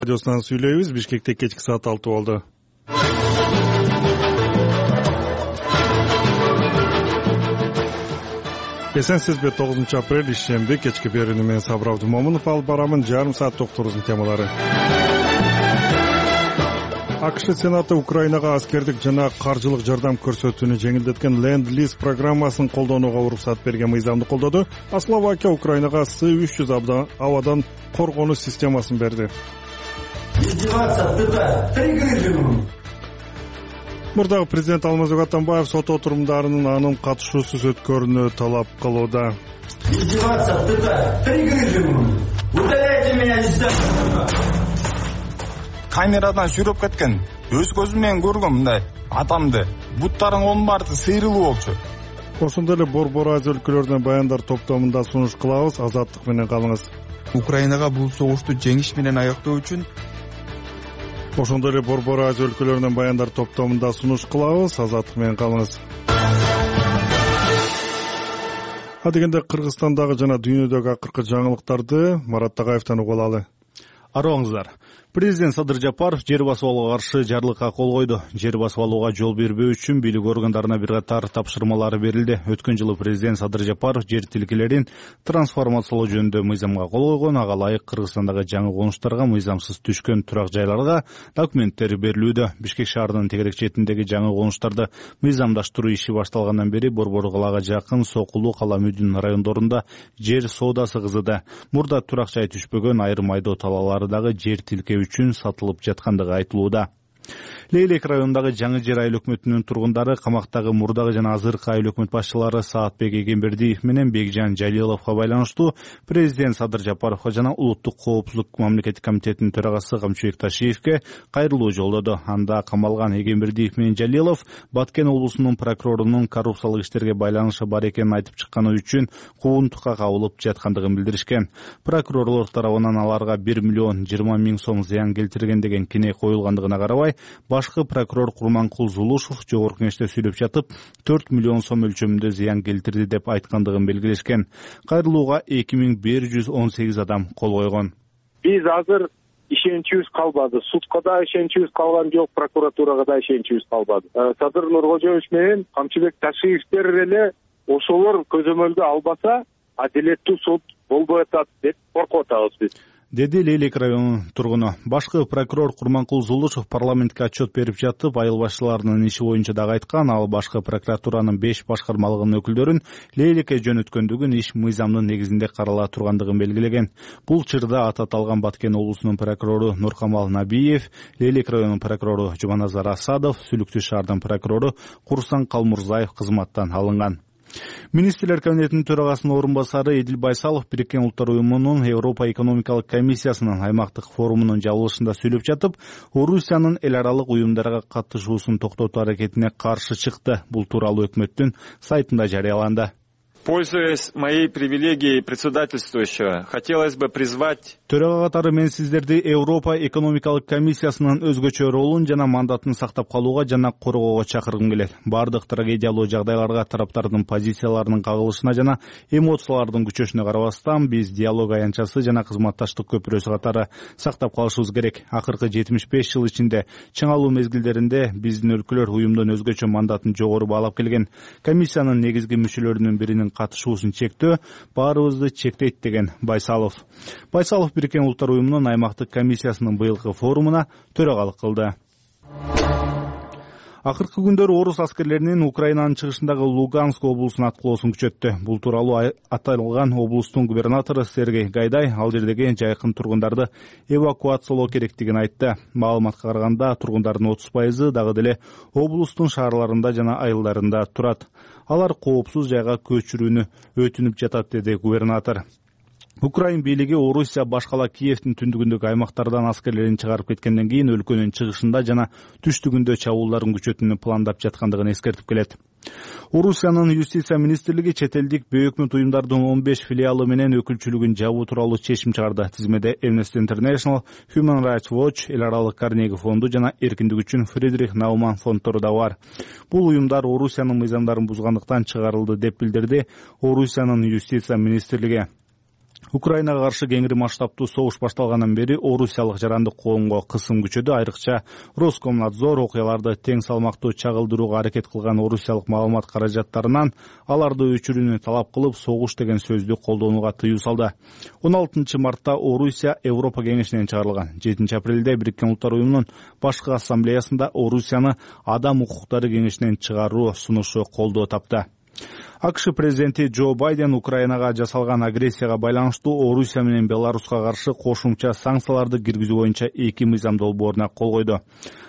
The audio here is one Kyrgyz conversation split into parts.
Радиосунан сүйлөйбүз. Бишкекте кечки саат 6 болду. Эсенсизби, 9-апрель ишемби кечки берүүнү мен Сабыр Абдумомунов алып барамын. Жарым саат докторубуздун темалары. АКШ Сенаты Украинага аскердик жана каржылык жардам көрсөтүүнү жеңилдеткен Ленд-лиз программасын колдонууга уруксат берген мыйзамды колдоду. А Словакия Украинага С-300 абадан коргонуу системасын берди. Мурдагы президент Алмазбек Атамбаев сот отурумдарынын анын катышуусуз өткөрүүнү талап кылууда. Камерадан сүрөп кеткен. Өз көзүм менен көргөм мындай атамды. Буттарың онун баары сыйрылуу болчу. Ошондой эле Борбор Азия өлкөлөрүнөн баяндар топтомунда сунуш кылабыз. Азаттык менен калыңыз. Украинага бул согушту жеңиш менен аяктоо үчүн Ошондой эле Борбор Азия өлкөлөрүнөн баяндар топтомунда сунуш кылабыз. Азаттык менен калыңыз. Адегенде Кыргызстандагы жана дүйнөдөгү акыркы жаңылыктарды Марат Тагаевден угуп алалы. Арооңуздар. Президент Садыр Жапаров жер басып алууга каршы жарлыкка кол койду. Жер басып алууга жол бербөө үчүн бийлик органдарына бир катар тапшырмалары берилди. Өткөн жылы президент Садыр Жапаров жер тилкелерин трансформациялоо жөнүндө мыйзамга кол койгон. Ага ылайык Кыргызстандагы жаңы конуштарга мыйзамсыз түшкөн турак жайларга документтер берилүүдө. Бишкек шаарынын тегерек четиндеги жаңы конуштарды мыйзамдаштыруу иши башталгандан бери Борбор калаага жакын Сокулу, Кала Мүдүн райондорунда жер соодасы кызыды. Мурда турак жай түшпөгөн айрым айдоо талаалары дагы жер тилке үчүн сатылып жаткандыгы айтылууда. Лейлек районундагы жаңы жер айыл өкмөтүнүн тургундары камактагы мурдагы жана азыркы айыл өкмөт башчылары Саатбек Эгембердиев менен Бекжан Жалиловго байланыштуу президент Садыр Жапаровго жана Улуттук коопсуздук мамлекеттик комитетинин төрагасы Камчыбек Ташиевке кайрылуу жолдоду. Анда камалган Эгембердиев менен Жалилов Баткен облусунун прокурорунун коррупциялык иштерге байланышы бар экенин айтып чыкканы үчүн куугунтукка кабылып жаткандыгын билдиришкен. Прокурорлор тарабынан аларга 1 миллион 20 миң сом зыян келтирген деген кине коюлгандыгына карабай, башкы прокурор Курманкул Зулушев жогорку кеңеште сүйлөп жатып 4 миллион сом өлчөмүндө зыян келтирди деп айткандыгын белгилешкен. Кайрылууга 2118 адам кол койгон. Биз азыр ишеничибиз калбады. Судка да ишеничибиз калган жок, прокуратурага да ишеничибиз калбады. Садыр Нуркожоевич менен Камчыбек Ташиевтер эле ошолор көзөмөлдү албаса, адилеттүү суд болбой атат деп коркуп атабыз биз, деди Лейлек районунун тургуну. Башкы прокурор Курманкул Зулушев парламентке отчет берип жатып, айыл башчыларынын иши боюнча дагы айткан. Ал башкы прокуратуранын 5 башкармалыгынын өкүлдөрүн Лейлекке жөнөткөндүгүн, иш мыйзамдын негизинде карала тургандыгын белгилеген. Бул чырда аты аталган Баткен облусунун прокурору Нуркамал Набиев, Лейлек районунун прокурору Жуманазар Асадов, Сүлүктүү шаардын прокурору Курсан Калмурзаев кызматтан алынган. Министрлер кабинетинин төрагасынын орун басары Эдил Байсалов Бириккен Улуттар уюмунун Европа экономикалык комиссиясынын аймактык форумунун жабылышында сүйлөп жатып, Орусиянын эл аралык уюмдарга катышуусун токтотуу аракетине каршы чыкты. Бул тууралуу өкмөттүн сайтында жарыяланды. Пользуясь моей привилегией председательствующего, хотелось бы призвать... Төрага катары мен сиздерди Европа экономикалык комиссиясынын өзгөчө ролун жана мандатын сактап калууга жана коргоого чакыргым келет. Бардык трагедиялуу жагдайларга тараптардын позицияларынын кагылышына жана эмоциялардын күчөшүнө карабастан, биз диалог аянтчасы жана кызматташтык көпүрөсү катары сактап калышыбыз керек. Акыркы 75 жыл ичинде чыңалуу мезгилдеринде биздин өлкөлөр уюмдун өзгөчө мандатын жогору баалап келген. Комиссиянын негизги мүчөлөрүнүн биринин катышуусун чектөө баарыбызды чектейт деген Байсалов. Байсалов Бириккен Улуттар уюмунун аймактык комиссиясынын быйылкы форумуна төрагалык кылды. Акыркы күндөрү орус аскерлеринин Украинанын чыгышындагы Луганск облусуна аткылоосун күчөттү. Бул тууралуу аталган облустун губернатору Сергей Гайдай ал жердеги жайкын тургундарды эвакуациялоо керектигин айтты. Маалыматка караганда тургундардын 30% дагы деле облустун шаарларында жана айылдарында турат. Алар коопсуз жайга көчүрүүнү өтүнүп жатат, деди губернатор. Украин бийлиги Орусия башкала Киевдин түндүгүндөгү аймактардан аскерлерин чыгарып кеткенден кийин өлкөнүн чыгышында жана түштүгүндө чабуулдарын күчөтүүнү пландап жаткандыгын эскертип келет. Орусиянын юстиция министрлиги чет элдик бейөкмөт уюмдардын 15 филиалы менен өкүлчүлүгүн жабуу тууралуу чечим чыгарды. Тизмеде Amnesty International, Human Rights Watch, эл аралык Карнеги фонду жана эркиндик үчүн Фридрих Науман фонддору да бар. Бул уюмдар Орусиянын мыйзамдарын бузгандыктан чыгарылды деп билдирди Орусиянын юстиция министрлиги. Украинага каршы кеңири масштабтуу согуш башталгандан бери орусиялык жарандык коомго кысым күчөдү. Айрыкча Роскомнадзор окуяларды тең салмактуу чагылдырууга аракет кылган орусиялык маалымат каражаттарынан аларды өчүрүүнү талап кылып, согуш деген сөздү колдонууга тыюу салды. 16 мартта Орусия Европа кеңешинен чыгарылган. 7 апрелде Бириккен Улуттар уюмунун башкы ассамблеясында Орусияны Адам укуктары кеңешинен чыгаруу сунушу колдоо тапты. АКШ президенти Джо Байден Украинага жасалган агрессияга байланыштуу Орусия менен Беларуска каршы кошумча санкцияларды киргизүү боюнча 2 мыйзам долбооруна кол койду.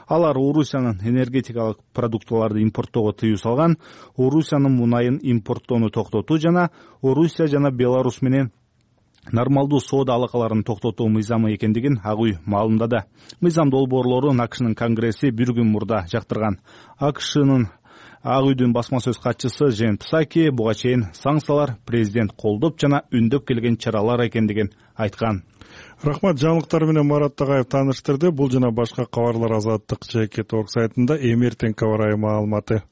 Алар Орусиянын энергетикалык продуктыларды импорттоого тыюу салган, Орусиянын мунайын импорттоону токтотуу жана Орусия жана Беларус менен нормалдуу соода алакаларын токтотуу мыйзамы экендигин Ак үй маалымдады. Мыйзам долбоорлорун АКШнын конгресси бир күн мурда жактырган. АКШнын Ак үйдүн басма сөз катчысы Жен Псаки буга чейин санкциялар президент колдоп жана үндөп келген чаралар экендигин айткан. Рахмат, жаңылыктар менен Марат Тагаев тааныштырды. Бул жана башка кабарлар Азаттык ЖК сайтында эмертең кабар маалыматы.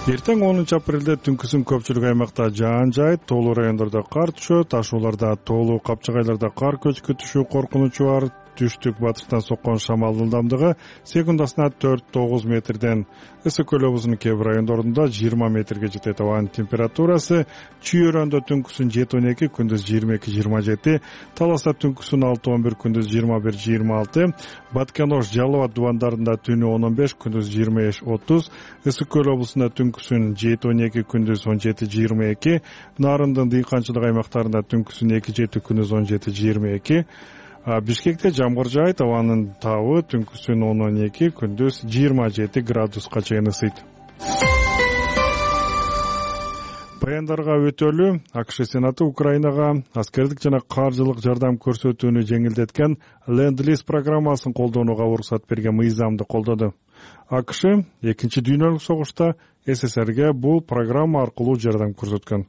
Эртең 10 апрелде түнкүсүн көпчүлүк аймакта жаан жаайт, тоолуу райондордо кар түшөт, ташууларда тоолуу капчыгайларда кар көчкү түшүү коркунучу бар. Түштүк батыштан соккон шамалдын ылдамдыгы секундасына 4-9 метрден, ысык көл облусунун кээ бир райондорунда 20 метрге жетет. Абанын температурасы Чүйөрөндө түнкүсүн 7-12, күндүз 22-27, Таласта түнкүсүн 6-11, күндүз 21-26, Баткенош, Жалал Абад дубандарында түнү 10-15, күндүз 25-30, ысык көл облусунда түнкүсүн 7-12, күндүз 17-22, Нарындын дыйканчылык аймактарында түнкүсүн 2-7, күндүз 17-22, Бишкекте жамгыр жаайт, абанын табы түнкүсүн 10-12, күндүз 27 градуска чейин ысыйт. Баяндарга өтөлү. АКШ Сенаты Украинага аскердик жана каржылык жардам көрсөтүүнү жеңилдеткен Ленд-лиз программасын колдонууга уруксат берген мыйзамды колдоду. АКШ 2 дүйнөлүк согушта СССРге бул программа аркылуу жардам көрсөткөн.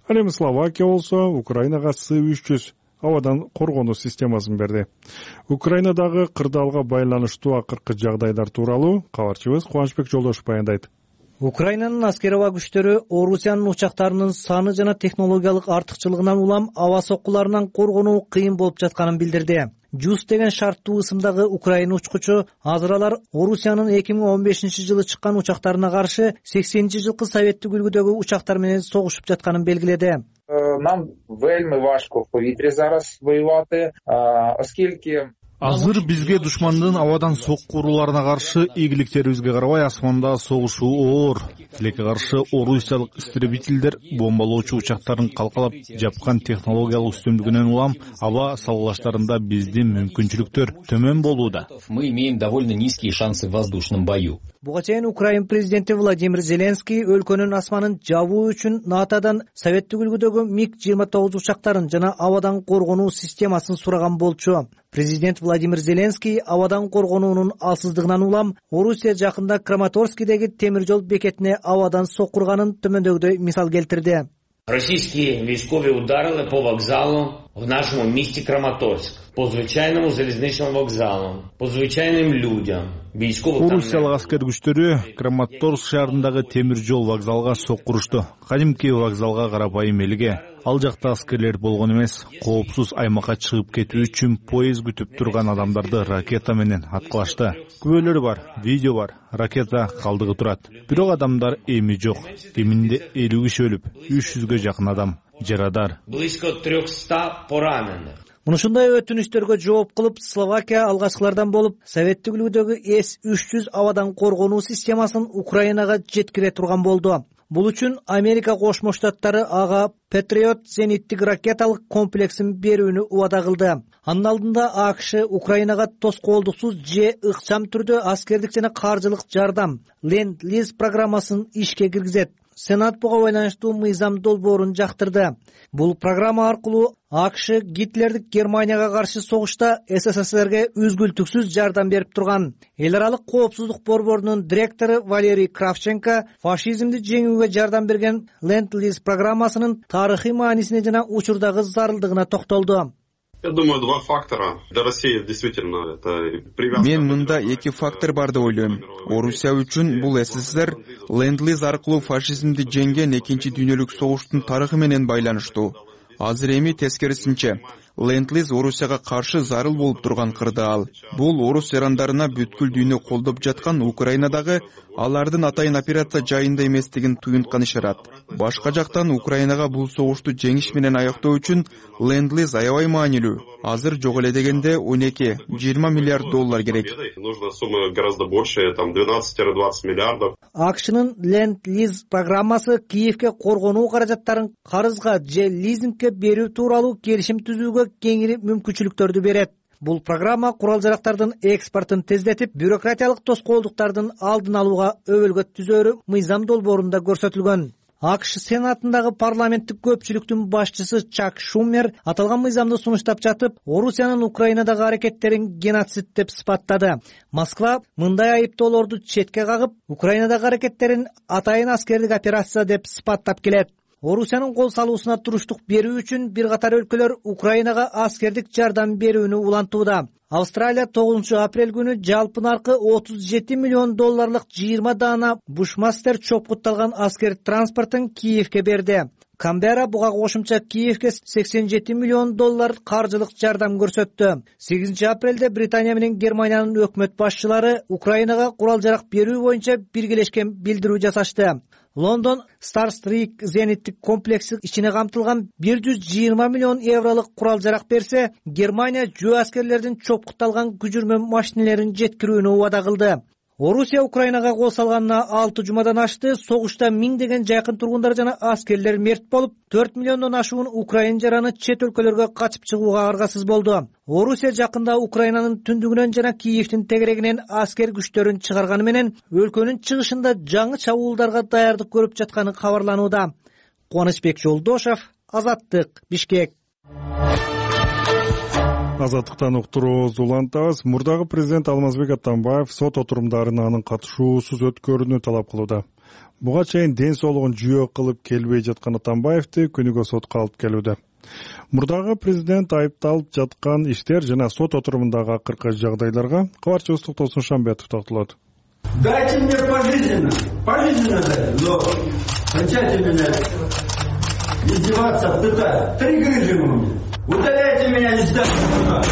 Ал эми Словакия болсо Украинага С-300 абадан коргонуу системасын берди. Украинадагы кырдаалга байланыштуу акыркы жагдайлар тууралуу кабарчыбыз Кубанычбек Жолдошев баяндайт. Украинанын аскер аба күчтөрү Орусиянын учактарынын саны жана технологиялык артыкчылыгынан улам аба соккуларынан коргонуу кыйын болуп жатканын билдирди. ЖУС деген шарттуу ысымдагы Украина учкучу азыр Орусиянын 2015 жылы чыккан учактарына каршы 80-жылкы советтик үлгүдөгү учактар менен согушуп жатканын белгиледи. Нам вельми важко в повітрі зараз воювати, оскільки Азыр бизге душмандын абадан сокку урууларына каршы ийгиликтерибизге карабай асманда согушуу оор. Тилекке каршы орусиялык истребительдер бомбалоочу учактарын калкалап жапкан технологиялык үстүмдүгүнөн улам аба салгылаштарында биздин мүмкүнчүлүктөр төмөн болууда. Мы имеем довольно низкие шансы в воздушном бою. Буга чейин Украин президенти Владимир Зеленский өлкөнүн асманын жабуу үчүн НАТОдан советтик үлгүдөгү МиГ-29 учактарын жана абадан коргонуу системасын сураган болчу. Президент Владимир Зеленский абадан коргонуунун алсыздыгынан улам Орусия жакында Краматорскийдеги темир жол бекетине абадан соккурганын төмөндөгүдөй мисал келтирди. Российские військові ударили по вокзалу в нашому місті Краматорськ, по звичайному залізничному вокзалу, по звичайним людям. Орусиялык аскер күчтөрү Краматорск шаарындагы темир жол вокзалга соккурушту. Кадимки вокзалга карапайым элге. Ал жакта аскерлер болгон эмес, коопсуз аймакка чыгып кетүү үчүн поезд күтүп турган адамдарды ракета менен аткылашты. Күбөлөр бар, видео бар, ракета калдыгы турат. Бирок адамдар эми жок. Кеминде 50 киши өлүп, 300гө жакын адам жарадар. Близко 300 пораненых. Мынушундай өтүнүштөргө жооп кылып, Словакия алгачкылардан болуп, советтик үлгүдөгү С-300 абадан коргонуу системасын Украинага жеткире турган болду. Бул үчүн Америка Кошмо Штаттары ага Patriot зениттик ракеталык комплексин берүүнү убада кылды. Анын алдында АКШ Украинага тоскоолдуксуз же ыкчам түрдө аскердик жана каржылык жардам Ленд-лиз программасын ишке киргизет. Сенат буга байланыштуу мыйзам долбоорун жактырды. Бул программа аркылуу АКШ Гитлердик Германияга каршы согушта СССРге үзгүлтүксүз жардам берип турган. Эл аралык коопсуздук борборунун директору Валерий Кравченко фашизмди жеңүүгө жардам берген Ленд-лиз программасынын тарыхый маанисине жана учурдагы зарылдыгына токтолду. Я думаю, два фактора. Для России действительно это привязка. Мен мында эки фактор бар деп ойлойм. Орусия үчүн бул СССР Ленд-лиз аркылуу фашизмди жеңген экинчи дүйнөлүк согуштун тарыхы менен байланыштуу. азыр эми тескерисинче Ленд-лиз Орусияга каршы зарыл болуп турган кырдаал. Бул орус жарандарына бүткүл дүйнө колдоп жаткан Украинадагы алардын атайын операция жайында эместигин туюнткан ишарат. Башка жактан Украинага бул согушту жеңиш менен аяктоо үчүн Ленд-лиз аябай маанилүү. Азыр жок эле дегенде 12-20 миллиард доллар керек. Нужна сумма гораздо больше, там 12-20 миллиардов. АКШнын Ленд-лиз программасы Киевке коргонуу каражаттарын карызга же лизингге берүү тууралуу келишим түзүүгө кеңири мүмкүнчүлүктөрдү берет. Бул программа курал-жарактардын экспортун тездетип, бюрократиялык тоскоолдуктардын алдын алууга өбөлгө түзөөрү мыйзам долбоорунда көрсөтүлгөн. АКШ Сенатындагы парламенттик көпчүлүктүн башчысы Чак Шумер аталган мыйзамды сунуштап жатып, Орусиянын Украинадагы аракеттерин геноцид деп сыпаттады. Москва мындай айыптоолорду четке кагып, Украинадагы аракеттерин атайын аскердик операция деп сыпаттап келет. Орусиянын кол салуусуна туруштук берүү үчүн бир катар өлкөлөр Украинага аскердик жардам берүүнү улантууда. Австралия 9 апрель күнү жалпы наркы $37 миллион 20 даана Бушмастер чопкутталган аскер транспортун Киевке берди. Камбера буга кошумча Киевке $87 миллион каржылык жардам көрсөттү. 8 апрелде Британия менен Германиянын өкмөт башчылары Украинага курал-жарак берүү боюнча биргелешкен билдирүү жасашты. Лондон Starstreak зениттик комплекси ичине камтылган 120 миллион евролук курал-жарак берсе, Германия жөө аскерлердин чопкутталган күжүрмө машинелерин жеткирүүнү убада кылды. Орусия Украинага кол салганына 6 жумадан ашты. Согушта миңдеген жакын тургундар жана аскерлер мерт болуп, 4 миллиондон ашуун украин жараны чет өлкөлөргө качып чыгууга аргасыз болду. Орусия жакында Украинанын түндүгүнөн жана Киевдин тегерегинен аскер күчтөрүн чыгарганы менен өлкөнүн чыгышында жаңы чабуулдарга даярдык көрүп жатканы кабарланууда. Кубанычбек Жолдошов, Азаттык, Бишкек. Азаттыктан уктуруубузду улантабыз. Мурдагы президент Алмазбек Атамбаев сот отурумдарына анын катышуусуз өткөрүүнү талап кылууда. Буга чейин ден соолугун жүйө кылып келбей жаткан Атамбаевди күнүгө сотко алып келүүдө. Мурдагы президент айыпталып жаткан иштер жана сот отурумундагы акыркы жагдайларга кабарчыбыз Токтосун Шамбетов токтолот. Дайте мне пожизненно дайте, но кончайте меня издеваться, пытать. 3 грыжи у меня. Удаляйте меня, не ставьте туда.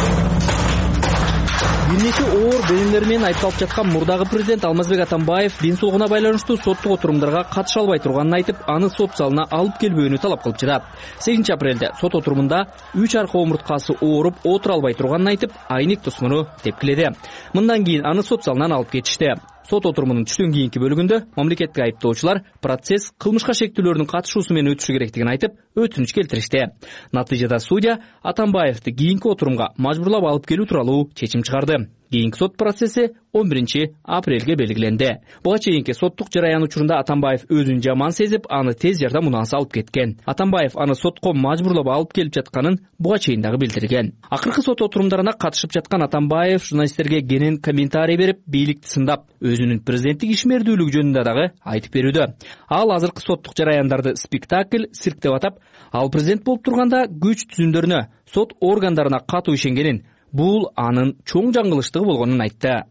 Бир нече оор бөлүмдөр менен айыпталып жаткан мурдагы президент Алмазбек Атамбаев ден соолугуна байланыштуу соттук отурумдарга катыша албай турганын айтып, аны сот залына алып келбөөнү талап кылып жатат. 8 апрелде сот отурумунда 3 арка омурткасы ооруп отура албай турганын айтып, айнек тосмону тепкиледи. Мындан кийин аны сот залынан алып кетишти. Сот отурумунун түштөн кийинки бөлүгүндө мамлекеттик айыптоочулар процесс кылмышка шектүүлөрдүн катышуусу менен өтүшү керектигин айтып, өтүнүч келтиришти. Натыйжада судья Атамбаевди кийинки отурумга мажбурлап алып келүү тууралуу чечим чыгарды. Кийинки сот процесси 11 апрелге белгиленди. Буга чейинки соттук жараян учурунда Атамбаев өзүн жаман сезип, аны тез жардам унаасы алып кеткен. Атамбаев аны сотко мажбурлап алып келип жатканын буга чейин дагы билдирген. Акыркы сот отурумдарына катышып жаткан Атамбаев журналисттерге кенен комментарий берип, бийликти сындап, өзүнүн президенттик ишмердүүлүгү жөнүндө дагы айтып берүүдө. Ал азыркы соттук жараяндарды спектакль, цирк деп атап, ал президент болуп турганда күч түзүмдөрүнө, сот органдарына катуу ишенгенин, бул анын чоң жаңылыштыгы болгонун айтты.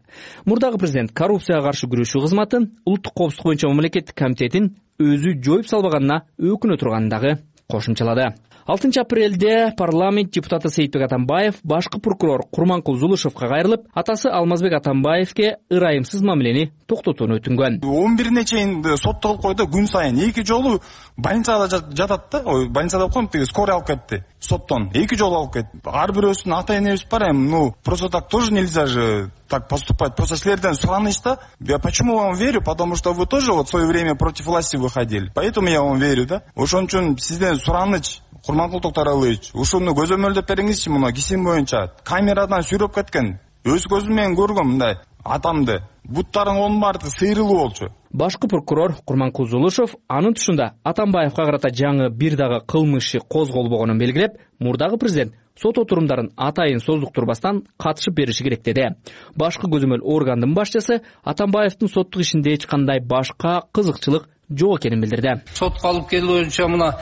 Мурдагы президент коррупцияга каршы күрөшүү кызматын, улуттук коопсуздук боюнча мамлекеттик комитетин өзү жоюп салбаганына өкүнө турганын дагы кошумчалады. 6 апрелде парламент депутаты Сейитбек Атамбаев башкы прокурор Курманкул Зулушевка кайрылып, атасы Алмазбек Атамбаевке ырайымсыз мамилени токтотууну өтүнгөн. 11-ине чейин сотто кылып койду, күн сайын 2 жолу больницада жатат да, больницада деп коем, скорый алып кетти соттон. 2 жолу алып кетти. Ар бирөөсүнүн ата-энебиз бар эми, просто так тоже нельзя же так поступать. Просто силерден сураныч да. Я почему вам верю? Потому что вы тоже в свое время против власти выходили. Поэтому я вам верю, да. Ошон үчүн сизден сураныч, Курманкул Токтаралыевич, ушуну көзөмөлдөп бериңизчи, муну кесим боюнча. Камерадан сүрөп кеткен. Өз көзүм менен көргөм мындай атамды. Буттарың баары сыйрылуу болчу. Башкы прокурор Курманкул Зулушев анын тушунда Атамбаевка карата жаңы бир дагы кылмыш козголбогонун белгилеп, мурдагы президент сот отурумдарын атайын создуктурбастан катышып бериши керек деди. Башкы көзөмөл органдын башчысы Атамбаевдин соттук ишинде эч кандай башка кызыкчылык жок экенин билдирди. Сотко алып келүү боюнча мына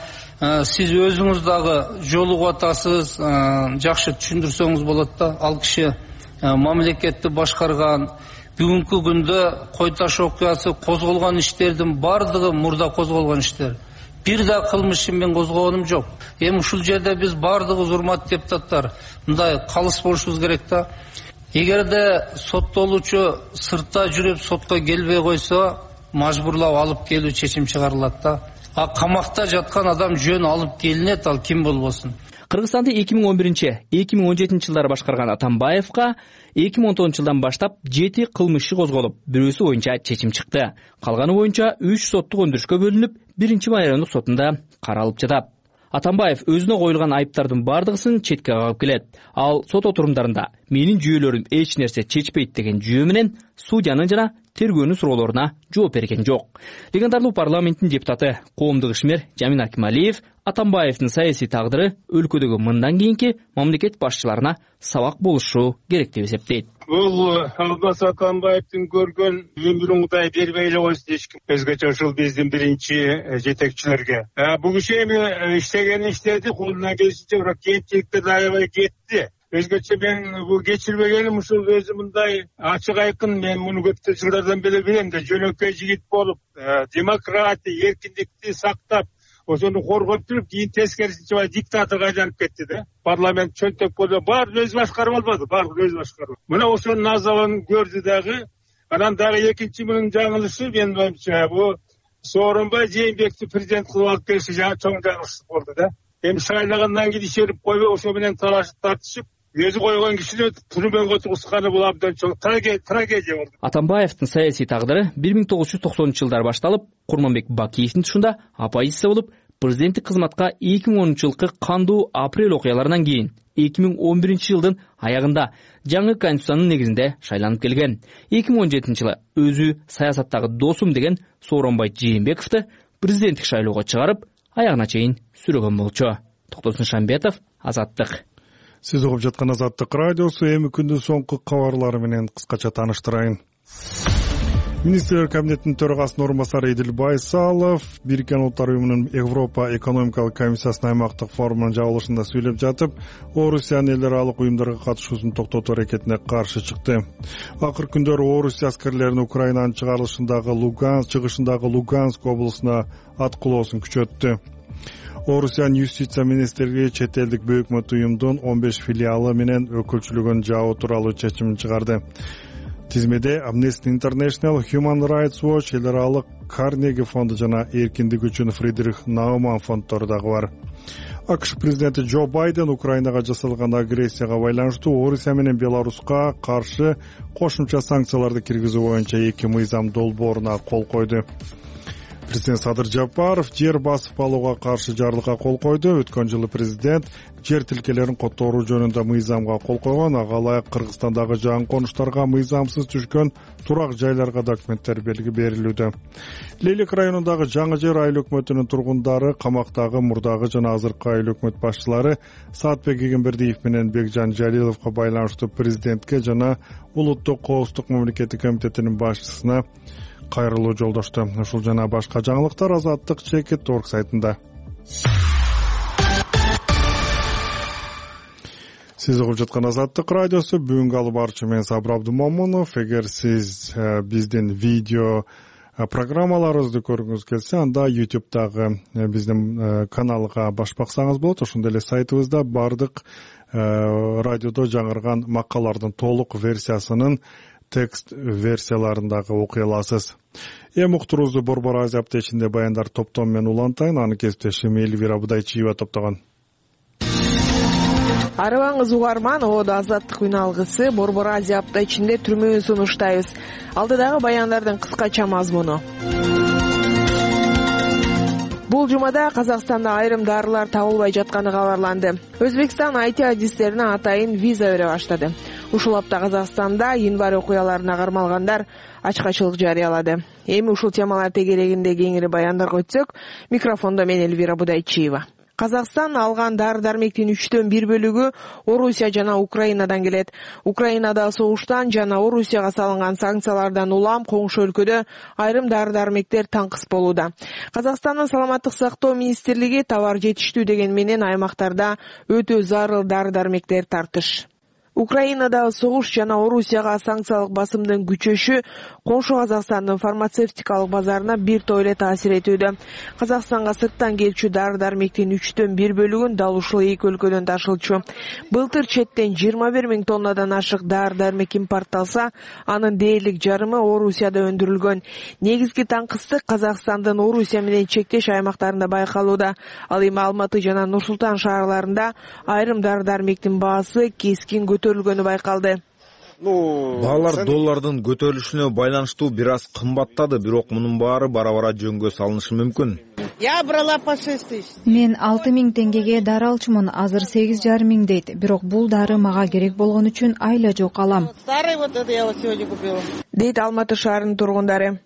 сиз өзүңүз дагы жолугуп атасыз, жакшы түшүндүрсөңүз болот да. Ал киши мамлекетти башкарган, бүгүнкү күндө кой таш окуясы козголгон иштердин бардыгы мурда козголгон иштер. бир да кылмышын мен козгогонум жок. Эми ушул жерде биз бардыгыбыз, урматтуу депутаттар, мындай калыс болушубуз керек да. Эгерде соттолуучу сыртта жүрүп сотко келбей койсо, мажбурлап алып келүү чечим чыгарылат да. А камакта жаткан адам жөн алып келинет, ал ким болбосун. Кыргызстанды 2011-2017 жылдары башкарган Атамбаевка 2019 жылдан баштап 7 кылмыш козголуп, бирөөсү боюнча чечим чыкты. Калганы боюнча 3 соттук өндүрүшкө бөлүнүп, 1-райондук сотунда каралып жатат. Атамбаев өзүнө коюлган айыптардын бардыгысын четке кагып келет. Ал сот отурумдарында менин жүйөлөрүм эч нерсе чечпейт деген жүйө менен судьянын жана тергөөнүн суроолоруна жооп берген жок. Легендарлуу парламенттин депутаты, коомдук ишмер Жамин Акималиев Атамбаевдин саясий тагдыры өлкөдөгү мындан кийинки мамлекет башчыларына сабак болушу керек деп эсептейт. Бул Алмаз Атамбаевдин көргөн өмүрүңдай бербей эле койсун эчким. Өзгөчө ушул биздин биринчи жетекчилерге. Бул киши эми иштеген иштеди, колунан келишинче бирок кемчиликтерди аябай кетти. Өзгөчө мен бул кечирбегеним ушул өзү мындай ачык айкын, мен муну көп жылдардан бери билем да, жөнөкөй жигит болуп, демократия, эркиндикти сактап, ошону коргоп туруп, кийин тескерисинче диктаторго айланып кетти да. Парламент чөнтөк болду, баарын өзү башкарып албады, баарын өзү башкарып. Мына ошонун азабын көрдү дагы. Анан дагы экинчи мунун жаңылышы, менин оюмча, бул Сооронбай Жээнбекти президент кылып алып келиши чоң жаңылыш болду да. Эми шайлагандан кийин ишерип койбой, ошо менен талашып тартышып, өзү койгон кишини түрмөгө отургузганы бул абдан чоң трагедия болду. Атамбаевдин саясий тагдыры 1990-жылдары башталып, Курманбек Бакиевдин тушунда оппозиция болуп, президенттик кызматка 2010-жылкы кандуу апрель окуяларынан кийин 2011-жылдын аягында жаңы конституциянын негизинде шайланып келген. 2017-жылы өзү саясаттагы досум деген Сооронбай Жээнбековду президенттик шайлоого чыгарып, аягына чейин сүрөгөн болчу. Токтосун Шамбетов, Азаттык. Сиз угуп жаткан Азаттык радиосу. Эми күндүн соңку кабарлары менен кыскача тааныштырайын. Министрлер кабинетинин төрагасынын орун басары Эдил Байсалов Бириккен Улуттар уюмунун Европа экономикалык комиссиясынын аймактык форумунун жабылышында сүйлөп жатып, Орусиянын эл аралык уюмдарга катышуусун токтотуу аракетине каршы чыкты. Акыркы күндөрү Орусия аскерлеринин Украинанын чыгышындагы Луганск облусуна аткылоосун күчөттү. Орусиянын юстиция министрлиги чет элдик бөкмөт уюмдун 15 филиалы менен өкүлчүлүгүн жабуу тууралуу чечим чыгарды. Тизмеде Amnesty International, Human Rights Watch, эл аралык Карнеги фонду жана эркиндик үчүн Фридрих Науман фонддору дагы бар. АКШ президенти Джо Байден Украинага жасалган агрессияга байланыштуу Орусия менен Беларуска каршы кошумча санкцияларды киргизүү боюнча 2 мыйзам долбооруна кол койду. Президент Садыр Жапаров жер басып алууга каршы жарлыкка кол койду. Өткөн жылы президент жер тилкелерин которуу жөнүндө мыйзамга кол койгон. Ага ылайык Кыргызстандагы жаңы конуштарга мыйзамсыз түшкөн турак жайларга документтер берилүүдө. Лейлик районундагы Жаңы Жер айыл өкмөтүнүн тургундары камактагы мурдагы жана азыркы айыл өкмөт башчылары Саатбек Эгембердиев менен Бекжан Жалиловго байланыштуу президентке жана Улуттук коопсуздук мамлекеттик комитетинин башчысына кайрылуу жолдошту. Ушул жана башка жаңылыктар Азаттык Чекит.org сайтында. Сиз угуп жаткан Азаттык радиосу. Бүгүнкү алып барчу мен Сабыр Абдымомунов. Эгер сиз биздин видео программаларыбызды көргүңүз келсе, анда YouTube'дагы биздин каналга баш баксаңыз болот. Ошондой эле сайтыбызда бардык радиодо жаңырган макалалардын толук версиясынын текст версияларындагы окуй аласыз. Эми уктуруубузду Борбор Азия аптечинде баяндар топтом менен улантайын. Аны кесиптешим Элвира Будайчиева топтогон. Арыбаңыз угарман, Оодо Азаттык үн алгысы Борбор Азия аптечинде түрмөөн сунуштайбыз. Алдыдагы баяндардын кыскача мазмуну. Бул жумада Казакстанда айрым дарылар табылбай жатканы кабарланды. Өзбекстан IT адистерине атайын виза бере баштады. Ушул апта Казакстанда январь окуяларына кармалгандар ачкачылык жарыялады. Эми ушул темалар тегерегинде кеңири баяндарга өтсөк, микрофондо мен Элвира Будайчиева. Казакстан алган дары-дармектин 1/3 бөлүгү Орусия жана Украинадан келет. Украинада согуштан жана Орусияга салынган санкциялардан улам коңшу өлкөдө айрым дары-дармектер таңкыс болууда. Казакстандын саламаттык сактоо министрлиги товар жетиштүү деген менен аймактарда өтө зарыл дары-дармектер тартыш. Украинадагы согуш жана Орусияга санкциялык басымдын күчөшү коңшу Казакстандын фармацевтикалык базарына бир топ эле таасир этүүдө. Казакстанга сырттан келчү дары-дармектин 1/3 бөлүгүн дал ушул эки өлкөдөн ташылчу. Былтыр четтен 21 000 тоннадан ашык дары-дармек импортталса, анын дээрлик жарымы Орусияда өндүрүлгөн. Негизги таңкыстык Казакстандын Орусия менен чектеш аймактарында байкалууда. Ал эми Алматы жана Нур-Султан шаарларында айрым дары-дармектин баасы кескин көтөрүлгөнү байкалды. Баалар доллардын көтөрүлүшүнө байланыштуу бир аз кымбаттады, бирок мунун баары бара-бара жөнгө салынышы мүмкүн. Я брала по 6 000. Мен 6 000 теңгеге дары алчумун, азыр 8,5 000 дейт. Бирок бул дары мага керек болгон үчүн айла жок алам. Старый вот это я вот сегодня купила. Дейт Алматы шаарынын тургундары.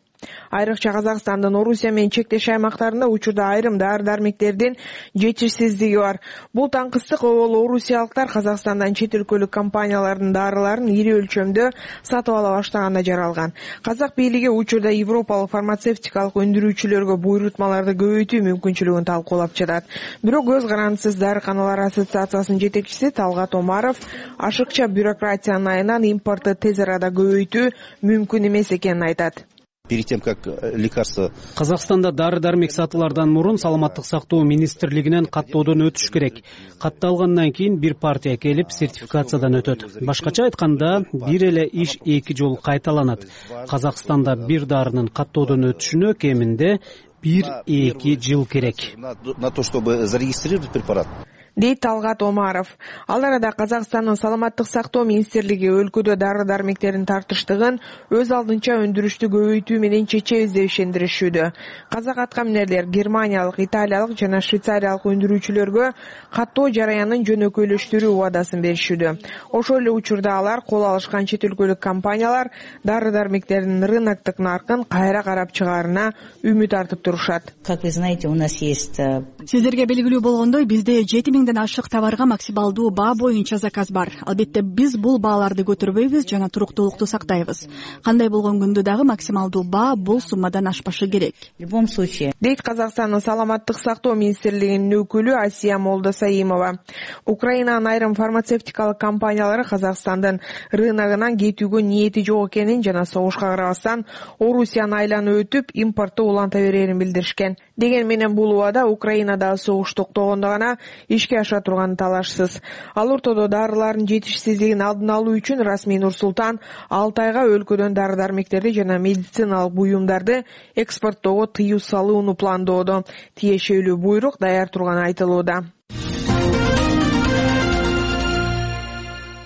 Айрыкча Казакстандын Орусия менен чектеш аймактарында учурда айрым дары-дармектердин жетишсиздиги бар. Бул таңкыстык обол орусиялыктар Казакстандан чет өлкөлүк компаниялардын дарыларын ири өлчөмдө сатып ала баштаганына жаралган. Казак бийлиги учурда европалык фармацевтикалык өндүрүүчүлөргө буйрутмаларды көбөйтүү мүмкүнчүлүгүн талкуулап жатат. Бирок көз карандысыз дарыканалар ассоциациясынын жетекчиси Талгат Омаров ашыкча бюрократиянын айынан импорту тез арада көбөйтүү мүмкүн эмес экенин айтат. Перед тем, как лекарство... Казакстанда дары-дармек сатылардан мурун саламаттык сактоо министрлигинен каттоодон өтүш керек. Катталгандан кийин бир партия келип сертификациядан өтөт. Башкача айтканда, бир эле иш эки жолу кайталанат. Казакстанда бир дарынын каттоодон өтүшүнө кеминде 1-2 жыл керек. На то, чтобы зарегистрировать препарат. Дейт Талгат Омаров. Ал арада Казакстандын саламаттык сактоо министрлиги өлкөдө дары-дармектердин тартыштыгын өз алдынча өндүрүштү көбөйтүү менен чечебиз деп ишендиришүүдө. Казак аткаминерлер германиялык, италиялык жана швейцариялык өндүрүүчүлөргө каттоо жараянын жөнөкөйлөштүрүү убадасын беришүүдө. Ошол эле учурда алар кол алышкан чет өлкөлүк компаниялар дары-дармектердин рыноктук наркын кайра карап чыгаарына үмүт артып турушат. Как вы знаете, у нас есть... Сиздерге белгилүү болгондой, бизде 7 000 ашык товарга максималдуу баа боюнча заказ бар. Албетте биз бул бааларды көтөрбөйбүз жана туруктуулукту сактайбыз. Кандай болгон күндө дагы максималдуу баа бул суммадан ашпашы керек. В любом случае. Дейт Казакстандын саламаттык сактоо министрлигинин өкүлү Асия Молдосаимова. Украинанын айрым фармацевтикалык компаниялары Казакстандын рыногунан кетүүгө ниети жок экенин жана согушка карабастан Орусияны айланып өтүп импортту уланта берерин билдиришкен. Деген менен бул убада Украинадагы согуш токтогондо гана ишке аша турганы талашсыз. Ал ортодо дарылардын жетишсиздигин алдын алуу үчүн расмий Нур-Султан 6 айга өлкөдөн дары-дармектерди жана медициналык буюмдарды экспорттоого тыюу салууну пландоодо. Тиешелүү буйрук даяр турганы айтылууда.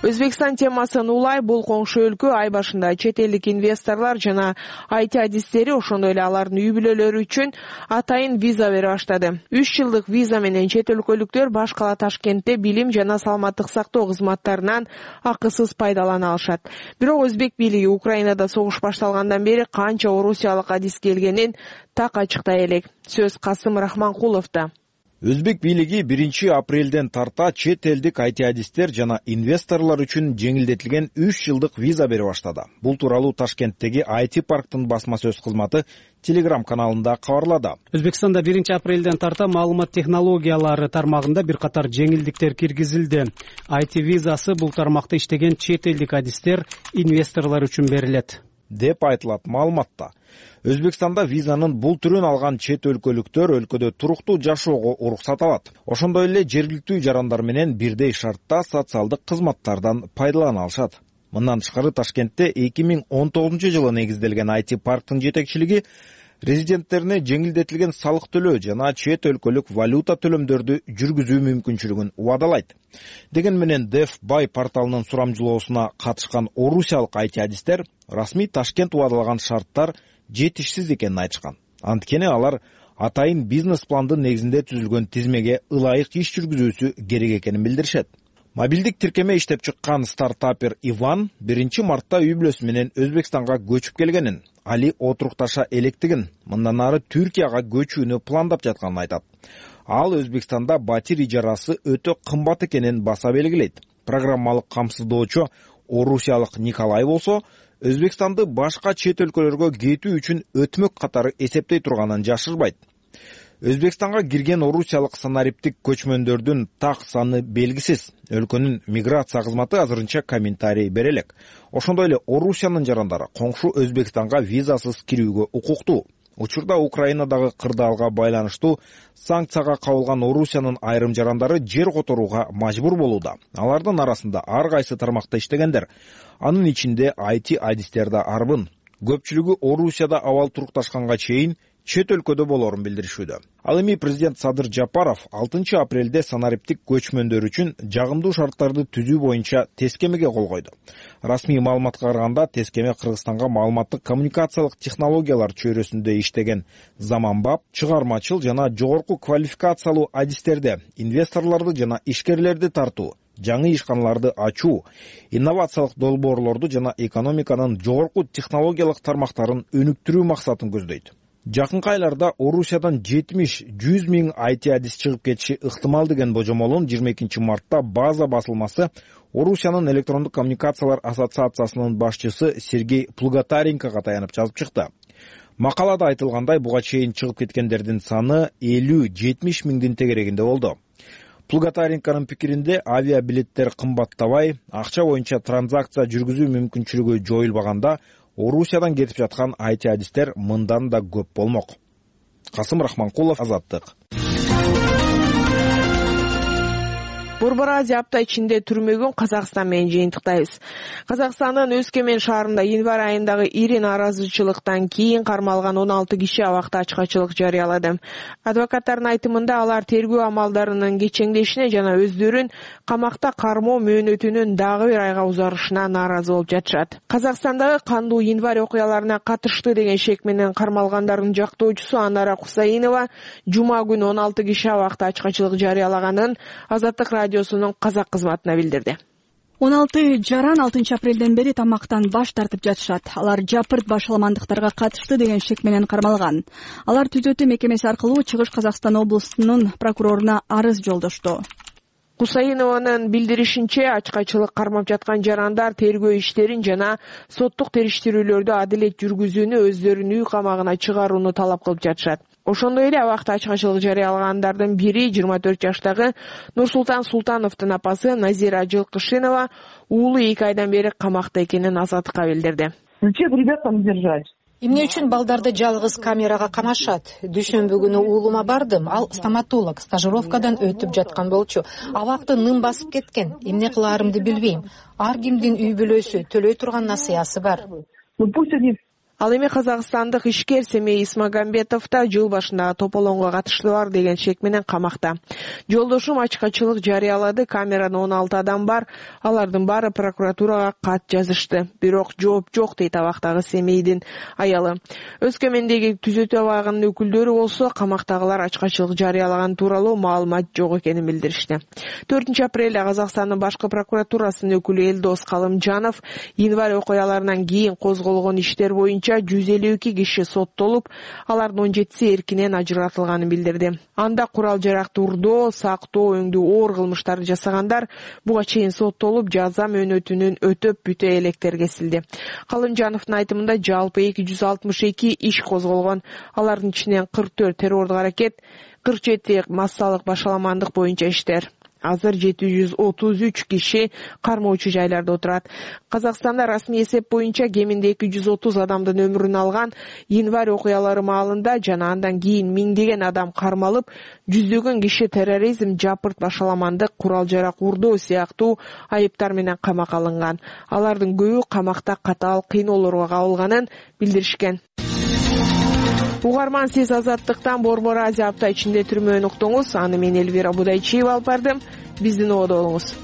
Өзбекстан темасын улай бул коңшу өлкө ай башында чет элдик инвесторлор жана IT адистери ошондой эле алардын үй бүлөлөрү үчүн атайын виза бере баштады. 3 жылдык виза менен чет өлкөлүктөр баш кала Ташкентте билим жана саламаттык сактоо кызматтарынан акысыз пайдалана алышат. Бирок өзбек бийлиги Украинада согуш башталгандан бери канча орусиялык адис келгенин так ачыктай элек. Сөз Касым Рахманкуловдо. Өзбек бийлиги 1 апрелден тарта чет элдик IT адистер жана инвесторлор үчүн жеңилдетилген 3 жылдык виза бере баштады. Бул тууралуу Ташкенттеги IT парктын басма сөз кызматы Telegram каналында кабарлады. Өзбекстанда 1 апрелден тарта маалымат технологиялары тармагында бир катар жеңилдиктер киргизилди. IT визасы бул тармакта иштеген чет элдик адистер, инвесторлор үчүн берилет деп айтылат маалыматта. Өзбекстанда визанын бул түрүн алган чет өлкөлүктөр өлкөдө туруктуу жашоого уруксат алат. Ошондой эле жергиликтүү жарандар менен бирдей шартта социалдык кызматтардан пайдалана алышат. Мындан тышкары Ташкентте 2019-жылы негизделген IT парктын жетекчилиги резиденттерине жеңилдетилген салык төлөө жана чет өлкөлүк валюта төлөмдөрдү жүргүзүү мүмкүнчүлүгүн убадалайт. Деген менен DevBuy порталынын сурамжылоосуна катышкан орусиялык IT адистер расмий Ташкент убадалаган шарттар жетишсиз экенин айтышкан. Анткени алар атайын бизнес пландын негизинде түзүлгөн тизмеге ылайык иш жүргүзүүсү керек экенин билдиришет. Мобилдик тиркеме иштеп чыккан стартапер Иван 1 мартта үй бүлөсү менен Өзбекстанга көчүп келгенин, али отурукташа электигин, мындан ары Түркияга көчүүнү пландап жатканын айтат. Ал Өзбекстанда батир ижарасы өтө кымбат экенин баса белгилейт. Программалык камсыздоочу орусиялык Николай болсо, Өзбекстанды башка чет өлкөлөргө кетүү үчүн өтмөк катары эсептей турганын жашырбайт. Өзбекстанга кирген орусиялык санариптик көчмөндөрдүн так саны белгисиз. Өлкөнүн миграция кызматы азырынча комментарий бере элек. Ошондой эле Орусиянын жарандары коңшу Өзбекстанга визасыз кирүүгө укуктуу. Учурда Украинадагы кырдаалга байланыштуу санкцияга кабылган Орусиянын айрым жарандары жер которууга мажбур болууда. Алардын арасында ар кайсы тармакта иштегендер. Анын ичинде IT адистер да арбын. Көпчүлүгү Орусияда абал турукташканга чейин чет өлкөдө болорун билдиришүүдө. Ал эми президент Садыр Жапаров 6 апрелде санариптик көчмөндөр үчүн жагымдуу шарттарды түзүү боюнча тескемеге кол койду. Расмий маалыматка караганда тескеме Кыргызстанга маалыматтык коммуникациялык технологиялар чөйрөсүндө иштеген заманбап, чыгармачыл жана жогорку квалификациялуу адистерди, инвесторлорду жана ишкерлерди тартуу, жаңы ишканаларды ачуу, инновациялык долбоорлорду жана экономиканын жогорку технологиялык тармактарын өнүктүрүү максатын көздөйт. Жакынкы айларда Орусиядан 70-100 миң IT адис чыгып кетиши ыктымал деген божомолун 22 мартта база басылмасы Орусиянын электрондук коммуникациялар ассоциациясынын башчысы Сергей Плугатаренкого таянып жазып чыкты. Макалада айтылгандай, буга чейин чыгып кеткендердин саны 50-70 миңдин тегерегинде болду. Плугатаренконун пикиринде авиабилеттер кымбаттабай, акча боюнча транзакция жүргүзүү мүмкүнчүлүгү жоюлбаганда Орусиядан кетип жаткан IT адистер мындан да көп болмок. Касым Рахманкулов, Азаттык. Борбор Азия апта ичинде түрмөгөн Казакстан менен жыйынтыктайбыз. Казакстандын Өскөмен шаарында январь айындагы ири нааразычылыктан кийин кармалган 16 киши абакта ачкачылык жарыялады. Адвокаттардын айтымында алар тергөө амалдарынын кечеңдешине жана өздөрүн камакта кармоо мөөнөтүнүн дагы бир айга узарышына нааразы болуп жатышат. Казакстандагы кандуу январь окуяларына катышты деген шек менен кармалгандардын жактоочусу Анара Кусаинова жума күнү 16 киши абакта ачкачылык жарыялаганын Азаттык радиосунун казак кызматына билдирди. 16 жаран 6 апрелден бери тамактан баш тартып жатышат. Алар жапырт башаламандыктарга катышты деген шек менен кармалган. Алар түзөтүү мекемеси аркылуу Чыгыш Казакстан облусунун прокуроруна арыз жолдошту. Кусаинованын билдиришинче, ачкачылык кармап жаткан жарандар тергөө иштерин жана соттук териштирүүлөрдү адилет жүргүзүүнү, өздөрүнүн үй камагына чыгарууну талап кылып жатышат. Ошондой эле абакта ачкачылык жарыялагандардын бири 24 жаштагы Нурсултан Султановдун апасы Назира Жылкышинова уулу 2 айдан бери камакта экенин Азаттыкка билдирди. Зачем ребятам держать? Эмне үчүн балдарды жалгыз камерага камашат? Дүйшөмбү күнү уулума бардым, ал стоматолог, стажировкадан өтүп жаткан болчу. Абакты ным басып кеткен. Эмне кылаарымды билбейм. Ар кимдин үй бүлөсү, төлөй турган насыясы бар. Ал эми казакстандык ишкер Семей Исмагамбетов да жыл башындагы тополоңго катышы бар деген шек менен камакта. Жолдошум ачкачылык жарыялады, камерада 16 адам бар, алардын баары прокуратурага кат жазышты. Бирок жооп жок дейт абактагы Семейдин аялы. Өскөмендеги түзөтүү абагынын өкүлдөрү болсо камактагылар ачкачылык жарыялаган тууралуу маалымат жок экенин билдиришти. 4 апрелде Казакстандын башкы прокуратурасынын өкүлү Элдос Калымжанов январь окуяларынан кийин козголгон иштер боюнча 152 киши соттолуп, алардын 17си эркинен ажыратылганын билдирди. Анда курал жаракты урдоо, сактоо, өңдүү оор кылмыштарды жасагандар буга чейин соттолуп, жаза мөөнөтүнүн өтөп бүтө электер кесилди. Калымжановдун айтымында жалпы 262 иш козголгон. Алардын ичинен 44 террордук аракет, 47 массалык башаламандык боюнча иштер. Азыр 733 киши кармоочу жайларда отурат. Казакстанда расмий эсеп боюнча кеминде 230 адамдын өмүрүн алган январь окуялары маалында жана андан кийин миңдеген адам кармалып, жүздөгөн киши терроризм, жапырт башаламандык, курал жарак урдоо сыяктуу айыптар менен камакка алынган. Алардын көбү камакта катаал кыйноолорго кабылганын билдиришкен. Угарман, сиз Азаттыктан Борбор Азия апта ичинде түрмөөнү уктуңуз. Аны мен Элвира Будайчиева алып бардым. Биздин ободо болуңуз.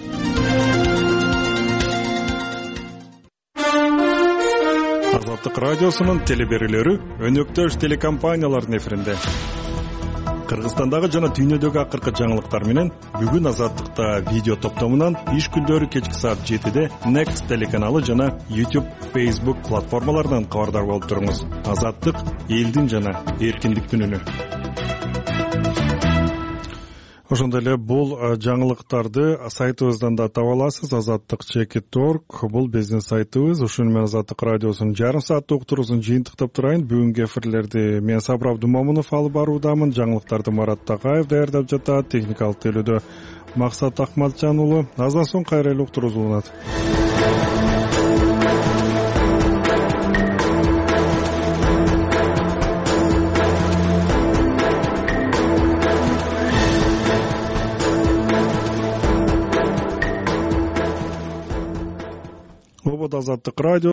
Азаттык радиосунун телеберүүлөрү өнөктөш телекомпаниялардын эфиринде. Кыргызстандагы жана дүйнөдөгү акыркы жаңылыктар менен бүгүн Азаттыкта видео топтомунан иш күндөрү кечки саат 7-де Next телеканалы жана YouTube, Facebook платформаларынан кабардар болуп туруңуз. Азаттык — элдин жана эркиндиктин үнү. Ошондой эле бул жаңылыктарды сайтыбыздан да таба аласыз. Азаттык.org бул биздин сайтыбыз. Ушуну менен Азаттык радиосунун жарым сааттык уктуруусун жыйынтыктап турайын. Бүгүнкү эфирлерди мен Сабыр Абдумомунов алып баруудамын. Жаңылыктарды Марат Такаев даярдап жатат. Техникалык тейлөөдө Максат Акматжан уулу. Аздан соң кайра эле уктуруу уланат. Азаттык радио